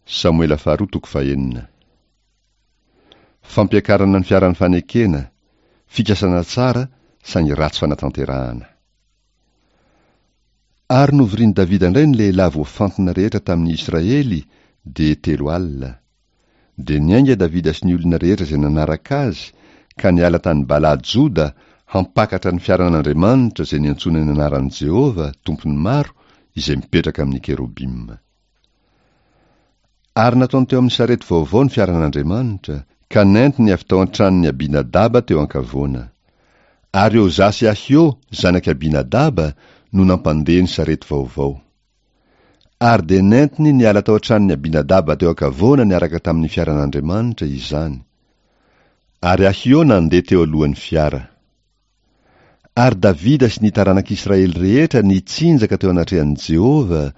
Samoela faharoa toko fahenina. Fampiakarana ny fiaran'ny fanekena, fikasana tsara saingy ratsy fanatanterahana. Ary novorian'i Davida indray ny lehilahy voafantina rehetra tamin'ny Israely, dia 40. Dia niainga Davida sy ny olona rehetra izay nanaraka azy, ka niala tany Bala-Joda hampakatra ny fiaran'Andriamanitra izay niantsoana ny anaran'i Jehovah, Tompon'ny maro, izay mipetraka amin'ny kerobima. Ary nataony teo amin'ny sarety vaovao ny fiaran'Andriamanitra, ka nentiny avy tao an-tranon'i Abinadaba teo an-kavoana. Ary Oza sy Ahio, zanak'i Abinadaba, no nampandeha ny sarety vaovao. Ary dia nentiny niala tao an-tranon'i Abinadaba teo an-kavoana niaraka tamin'ny fiaran'Andriamanitra izany. Ary Ahio nandeha teo alohan'ny fiara. Ary Davida sy ny taranak'Israely rehetra nitsinjaka teo anatrehan'i Jehovah,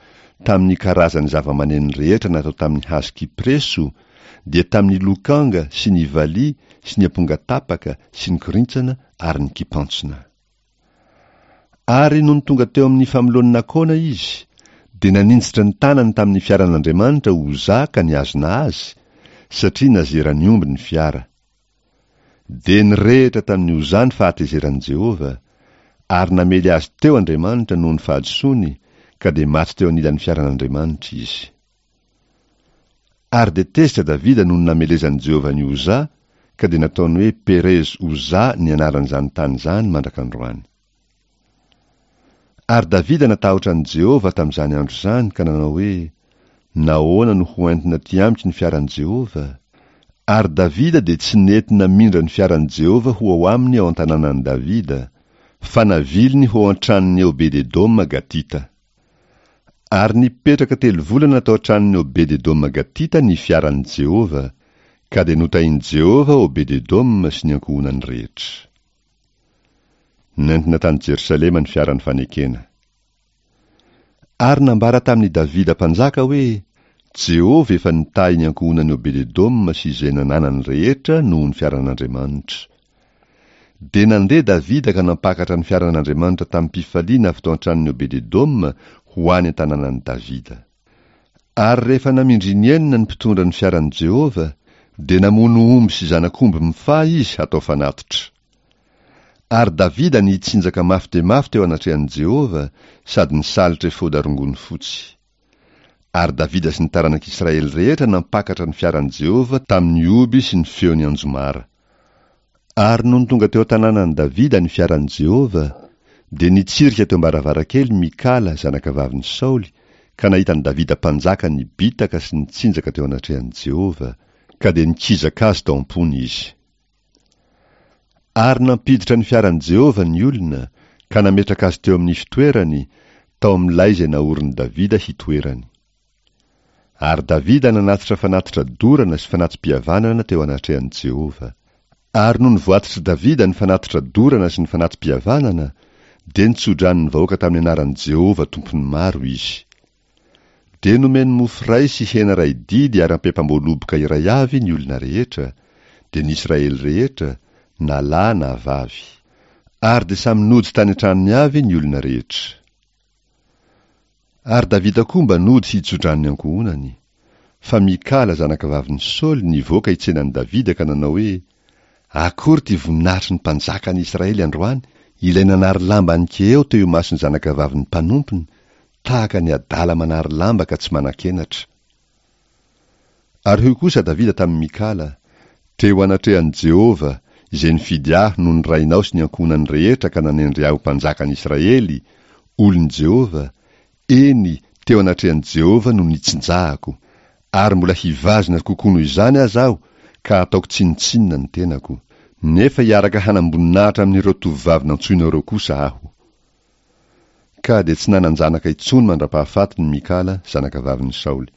tamin'ny karazan'ny zavamaneno rehetra natao tamin'ny hazo kypreso, dia tamin'ny lokanga sy ny valiha sy ny ampongatapaka sy ny korintsana ary ny kipantsona. Ary nony tonga teo amin'ny famoloan'i Nakona izy, dia naninjitra ny tanany tamin'ny fiaran'Andriamanitra Oza ka nihazona azy, satria nazeran'ny omby ny fiara. Dia nirehitra tamin'i Oza ny fahatezeran'i Jehovah, ary namely azy teo Andriamanitra noho ny fahadisoany, ka dia maty teo anilan'ny fiaran'Andriamanitra izy. Ary dia tezitra Davida noho ny namelezan'i Jehovah an'i Oza, ka dia nataony hoe Perez-Oza ny anaran'izany tany izany mandrak'androany. Ary Davida natahotra an'i Jehovah tamin'izany andro izany ka nanao hoe, Nahoana no ho entina aty amiko ny fiaran'i Jehovah? Ary Davida dia tsy nety namindra ny fiaran'i Jehovah ho ao aminy ao an-tanànan'i Davida, fa naviliny ho ao an-tranon'i Obed-edoma Gatita. Ary nipetraka telo volana tao an-tranon'i Obed-edoma Gatita ny fiaran'i Jehovah, ka dia notahin'i Jehovah Obed-edoma sy ny ankohonany rehetra. Nentina tany Jerosalema ny fiaran'ny fanekena. Ary nambara tamin'i Davida mpanjaka hoe, Jehovah efa nitahy ny ankohonan'i Obed-edoma sy izay nananany rehetra noho ny fiaran'Andriamanitra. Dia nandeha Davida ka nampakatra ny fiaran'Andriamanitra tamim-pifaliana avy tao an-tranon'i Obed-edoma ho any an-tanànan'i Davida. Ary rehefa namindra inenina ny mpitondra ny fiaran'i Jehovah, dia namono omby sy zanak'omby mifaha izy hatao fanatitra. Ary Davida nitsinjaka mafy dia mafy teo anatrehan'i Jehovah sady nisalotra efoda rongony fotsy. Ary Davida sy ny taranak'Israely rehetra nampakatra ny fiaran'i Jehovah tamin'ny oby sy ny feon'ny anjomara. Ary nony tonga teo an-tanànan'i Davida ny fiaran'i Jehovah, dia nitsirika teo am-baravarankely Mikala, zanakavavin'i Saoly, ka nahita an'i Davida mpanjaka nibitaka sy nitsinjaka teo anatrehan'i Jehovah, ka dia nikizaka azy tao am-pony izy. Ary nampiditra ny fiaran'i Jehovah ny olona, ka nametraka azy teo amin'ny fitoerany, tao amin'ny lay izay naorin'i Davida hitoerany. Ary Davida nanatitra fanatitra dorana sy fanati-pihavanana teo anatrehan'i Jehovah. Ary nony voatitr'i Davida ny fanatitra dorana sy ny fanati-pihavanana, dia nitsodrano ny vahoaka tamin'ny anaran'i Jehovah Tompon'ny maro izy. Dia nomeny mofo iray sy hena iray didy ary ampempam-boaloboka iray avy ny olona rehetra, dia ny Israely rehetra, na lahy na vavy. Ary dia samy nody tany an-tranony avy ny olona rehetra. Ary Davida koa mba nody hitso-drano ny ankohonany. Fa Mikala zanakavavin'i Saoly nivoaka hitsena an'i Davida ka nanao hoe, Akory ity voninahitry ny mpanjakan'i Israely androany, ilay nanary lamba an'i-keheo teo imason'ny zanakavavin'ny mpanompony, tahaka ny adala manary lamba ka tsy manan-kenatra. Ary hoy kosa Davida tamin'i Mikala, Teo anatrehan'i Jehovah, izay nifidy ahy noho ny rainao sy ny ankohonany rehetra ka nanendry ahy ho mpanjakan'i Israely, olon'i Jehovah, eny, teo anatrehan'i Jehovah no nitsinjahako, ary mbola hivazona kokoa noho izany aza aho, ka hataoko tsinontsinona ny tenako. Nefa hiaraka hanam-boninahitra amin'ireo tovovavy nantsoinao ireo kosa aho. Ka dia tsy nanan-janaka intsony mandra-pahafatiny Mikala, zanakavavin'i Saoly.